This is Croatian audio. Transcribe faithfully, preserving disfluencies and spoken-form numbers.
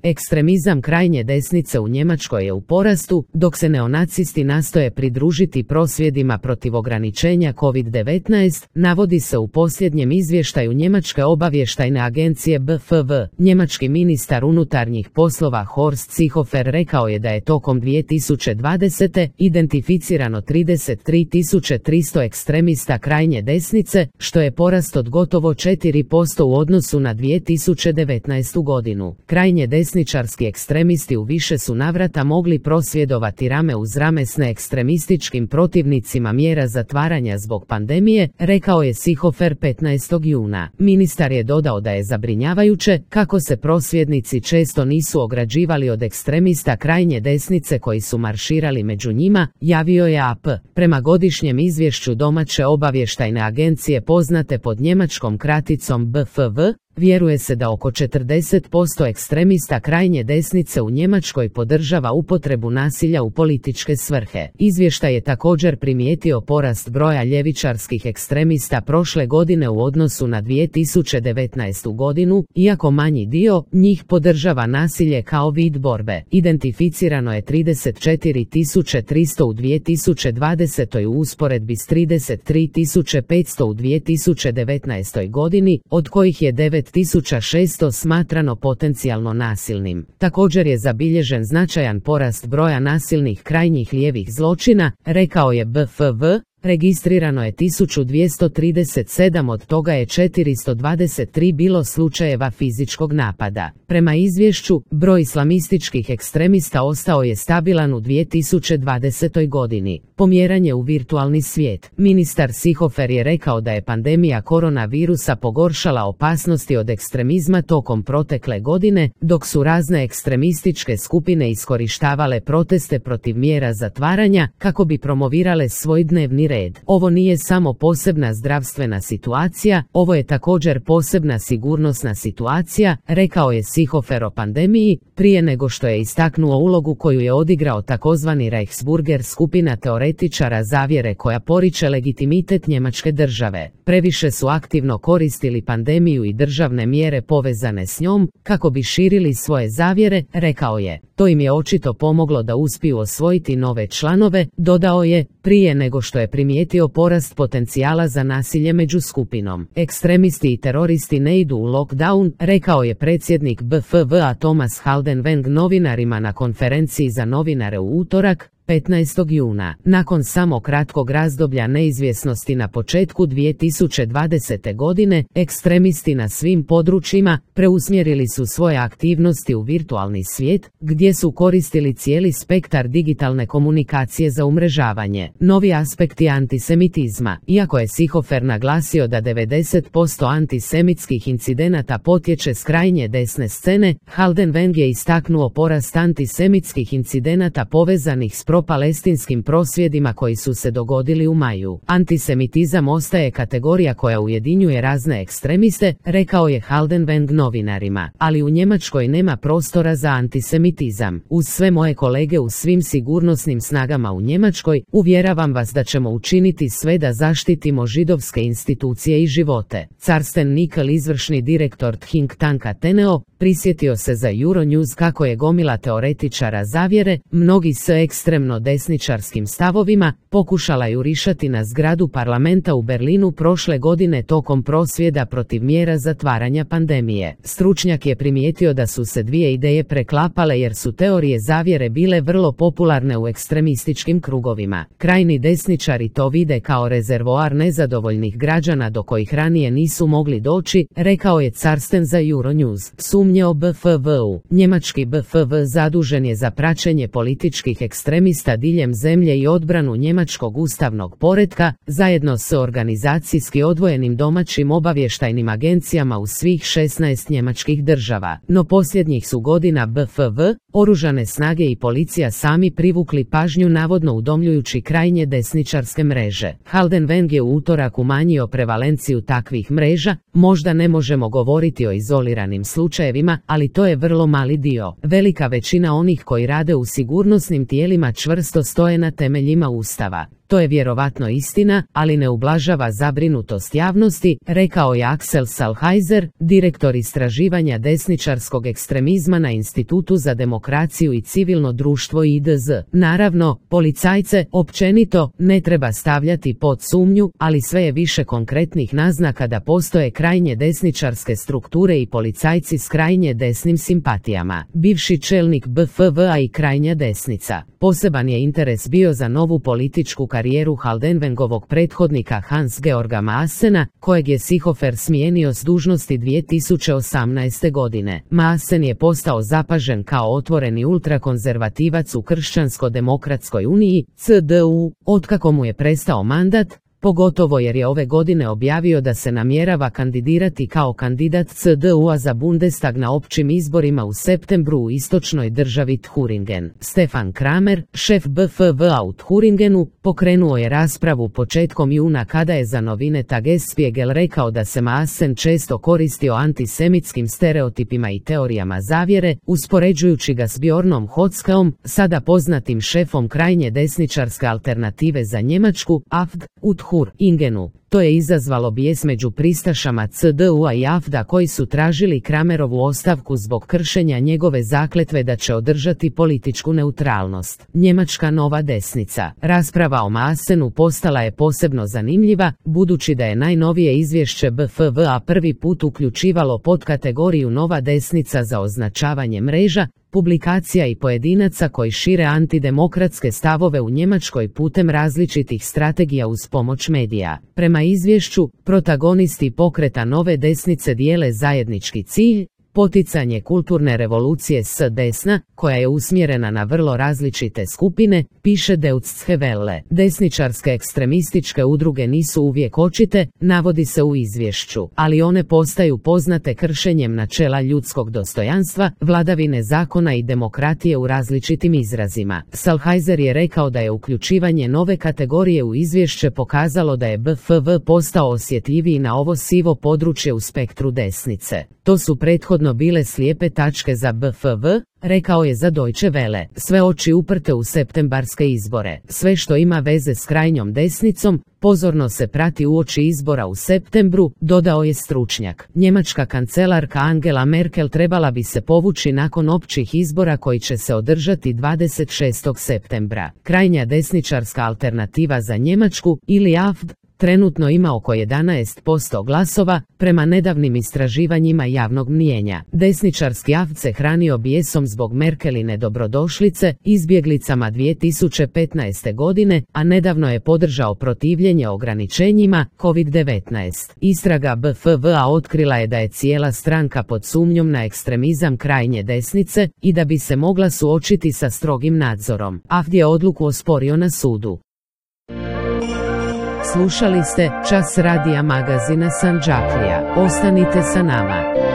Ekstremizam krajnje desnice u Njemačkoj je u porastu, dok se neonacisti nastoje pridružiti prosvjedima protiv ograničenja kovid devetnaest, navodi se u posljednjem izvještaju Njemačke obavještajne agencije B F V. Njemački ministar unutarnjih poslova Horst Seehofer rekao je da je tokom dvije tisuće dvadesete. identificirano trideset tri tisuće tristo ekstremista krajnje desnice, što je porast od gotovo četiri posto u odnosu na dvije tisuće devetnaestu. godinu. Krajnje desničarski ekstremisti u više su navrata mogli prosvjedovati rame uz rame s neekstremističkim protivnicima mjera zatvaranja zbog pandemije, rekao je Seehofer petnaestog juna. Ministar je dodao da je zabrinjavajuće kako se prosvjednici često nisu ograđivali od ekstremista krajnje desnice koji su marširali među njima, javio je A P. Prema godišnjem izvješću domaće obavještajne agencije poznate pod njemačkom kraticom B F V, vjeruje se da oko četrdeset posto ekstremista krajnje desnice u Njemačkoj podržava upotrebu nasilja u političke svrhe. Izvještaj je također primijetio porast broja ljevičarskih ekstremista prošle godine u odnosu na dvije tisuće devetnaestu. godinu, iako manji dio njih podržava nasilje kao vid borbe. Identificirano je trideset četiri tisuće tristo u dvije tisuće dvadesetoj. u usporedbi s trideset tri tisuće petsto u dvije tisuće devetnaestoj. godini, od kojih je devet tisuća šesto smatrano potencijalno nasilnim. Također je zabilježen značajan porast broja nasilnih krajnjih lijevih zločina, rekao je B F V. Registrirano je tisuću dvjesto trideset sedam, od toga je četiristo dvadeset tri bilo slučajeva fizičkog napada. Prema izvješću, broj islamističkih ekstremista ostao je stabilan u dvije tisuće dvadesetoj. godini. Pomjeranje u virtualni svijet. Ministar Seehofer je rekao da je pandemija koronavirusa pogoršala opasnosti od ekstremizma tokom protekle godine, dok su razne ekstremističke skupine iskorištavale proteste protiv mjera zatvaranja kako bi promovirale svoj dnevni red. Ovo nije samo posebna zdravstvena situacija, ovo je također posebna sigurnosna situacija, rekao je Seehofer o pandemiji, prije nego što je istaknuo ulogu koju je odigrao takozvani Reichsburger, skupina teoretičara zavjere koja poriče legitimitet njemačke države. Previše su aktivno koristili pandemiju i državne mjere povezane s njom, kako bi širili svoje zavjere, rekao je. To im je očito pomoglo da uspiju osvojiti nove članove, dodao je, prije nego što je primijetio porast potencijala za nasilje među skupinom. Ekstremisti i teroristi ne idu u lockdown, rekao je predsjednik B F V-a Thomas Haldenwang novinarima na konferenciji za novinare u utorak, petnaestog juna. Nakon samo kratkog razdoblja neizvjesnosti na početku dvije tisuće dvadesete. godine, ekstremisti na svim područjima preusmjerili su svoje aktivnosti u virtualni svijet, gdje su koristili cijeli spektar digitalne komunikacije za umrežavanje. Novi aspekti antisemitizma. Iako je Seehofer naglasio da devedeset posto antisemitskih incidenata potječe s krajnje desne scene, Haldenwang je istaknuo porast antisemitskih incidenata povezanih s pro-palestinskim prosvjedima koji su se dogodili u maju. Antisemitizam ostaje kategorija koja ujedinjuje razne ekstremiste, rekao je Haldenwang novinarima, ali u Njemačkoj nema prostora za antisemitizam. Uz sve moje kolege u svim sigurnosnim snagama u Njemačkoj, uvjeravam vas da ćemo učiniti sve da zaštitimo židovske institucije i živote. Carsten Nickel, izvršni direktor think tanka Teneo, prisjetio se za Euronews kako je gomila teoretičara zavjere, mnogi s ekstremno desničarskim stavovima, pokušala jurišati na zgradu parlamenta u Berlinu prošle godine tokom prosvjeda protiv mjera zatvaranja pandemije. Stručnjak je primijetio da su se dvije ideje preklapale jer su teorije zavjere bile vrlo popularne u ekstremističkim krugovima. Krajni desničari to vide kao rezervoar nezadovoljnih građana do kojih ranije nisu mogli doći, rekao je Carsten za Euronews. Sumnje o B F V-u. Njemački B F V zadužen je za praćenje političkih ekstremista diljem zemlje i odbranu njemačkog ustavnog poretka, zajedno s organizacijski odvojenim domaćim obavještajnim agencijama u svih šesnaest njemačkih država. No posljednjih su godina B F V, oružane snage i policija sami privukli pažnju navodno udomljujući krajnje desničarske mreže. Haldenwang je u utorak umanjio prevalenciju takvih mreža, možda ne možemo govoriti o izoliranim slučajevima, ali to je vrlo mali dio. Velika većina onih koji rade u sigurnosnim tijelima čvrsto stoje na temeljima Ustava. To je vjerovatno istina, ali ne ublažava zabrinutost javnosti, rekao je Axel Sallheiser, direktor istraživanja desničarskog ekstremizma na Institutu za demokraciju i civilno društvo I D Z. Naravno, policajce, općenito, ne treba stavljati pod sumnju, ali sve je više konkretnih naznaka da postoje krajnje desničarske strukture i policajci s krajnje desnim simpatijama. Bivši čelnik B F V a i krajnja desnica. Poseban je interes bio za novu političku karijeru Haldenwangovog prethodnika Hans-Georga Maassena, kojeg je Seehofer smijenio s dužnosti dvije tisuće osamnaeste. godine. Maassen je postao zapažen kao otvoreni ultrakonzervativac u Kršćansko-demokratskoj uniji, C D U, otkako mu je prestao mandat, pogotovo jer je ove godine objavio da se namjerava kandidirati kao kandidat C D U-a za Bundestag na općim izborima u septembru u istočnoj državi Thuringen. Stefan Kramer, šef B F V-a u Thuringenu, pokrenuo je raspravu početkom juna kada je za novine Tagesspiegel rekao da se Maassen često koristio antisemitskim stereotipima i teorijama zavjere, uspoređujući ga s Bjornom Hotzkaom, sada poznatim šefom krajnje desničarske alternative za Njemačku, A F D, u Thuringenu. To je izazvalo bijes među pristašama C D U-a i A F D-a koji su tražili Kramerovu ostavku zbog kršenja njegove zakletve da će održati političku neutralnost. Njemačka nova desnica. Rasprava o Maassenu postala je posebno zanimljiva, budući da je najnovije izvješće B F V-a prvi put uključivalo podkategoriju nova desnica za označavanje mreža, publikacija i pojedinaca koji šire antidemokratske stavove u Njemačkoj putem različitih strategija uz pomoć medija. Prema izvješću, protagonisti pokreta nove desnice dijele zajednički cilj, poticanje kulturne revolucije s desna, koja je usmjerena na vrlo različite skupine, piše Deutsche Welle. Desničarske ekstremističke udruge nisu uvijek očite, navodi se u izvješću, ali one postaju poznate kršenjem načela ljudskog dostojanstva, vladavine zakona i demokratije u različitim izrazima. Sallheiser je rekao da je uključivanje nove kategorije u izvješće pokazalo da je B F V postao osjetljiviji na ovo sivo područje u spektru desnice. To su prethodno bile slijepe tačke za B F V, rekao je za Deutsche Welle. Sve oči uprte u septembarske izbore. Sve što ima veze s krajnjom desnicom, pozorno se prati uoči izbora u septembru, dodao je stručnjak. Njemačka kancelarka Angela Merkel trebala bi se povući nakon općih izbora koji će se održati dvadeset šestog septembra. Krajnja desničarska alternativa za Njemačku, ili A F D, trenutno ima oko jedanaest posto glasova, prema nedavnim istraživanjima javnog mnijenja. Desničarski A F D se hranio bijesom zbog Merkeline dobrodošlice, izbjeglicama dvije tisuće petnaeste. godine, a nedavno je podržao protivljenje ograničenjima kovid devetnaest. Istraga B F V-a otkrila je da je cijela stranka pod sumnjom na ekstremizam krajnje desnice i da bi se mogla suočiti sa strogim nadzorom. A F D je odluku osporio na sudu. Slušali ste Čas radija magazina Sandžaklija. Ostanite sa nama.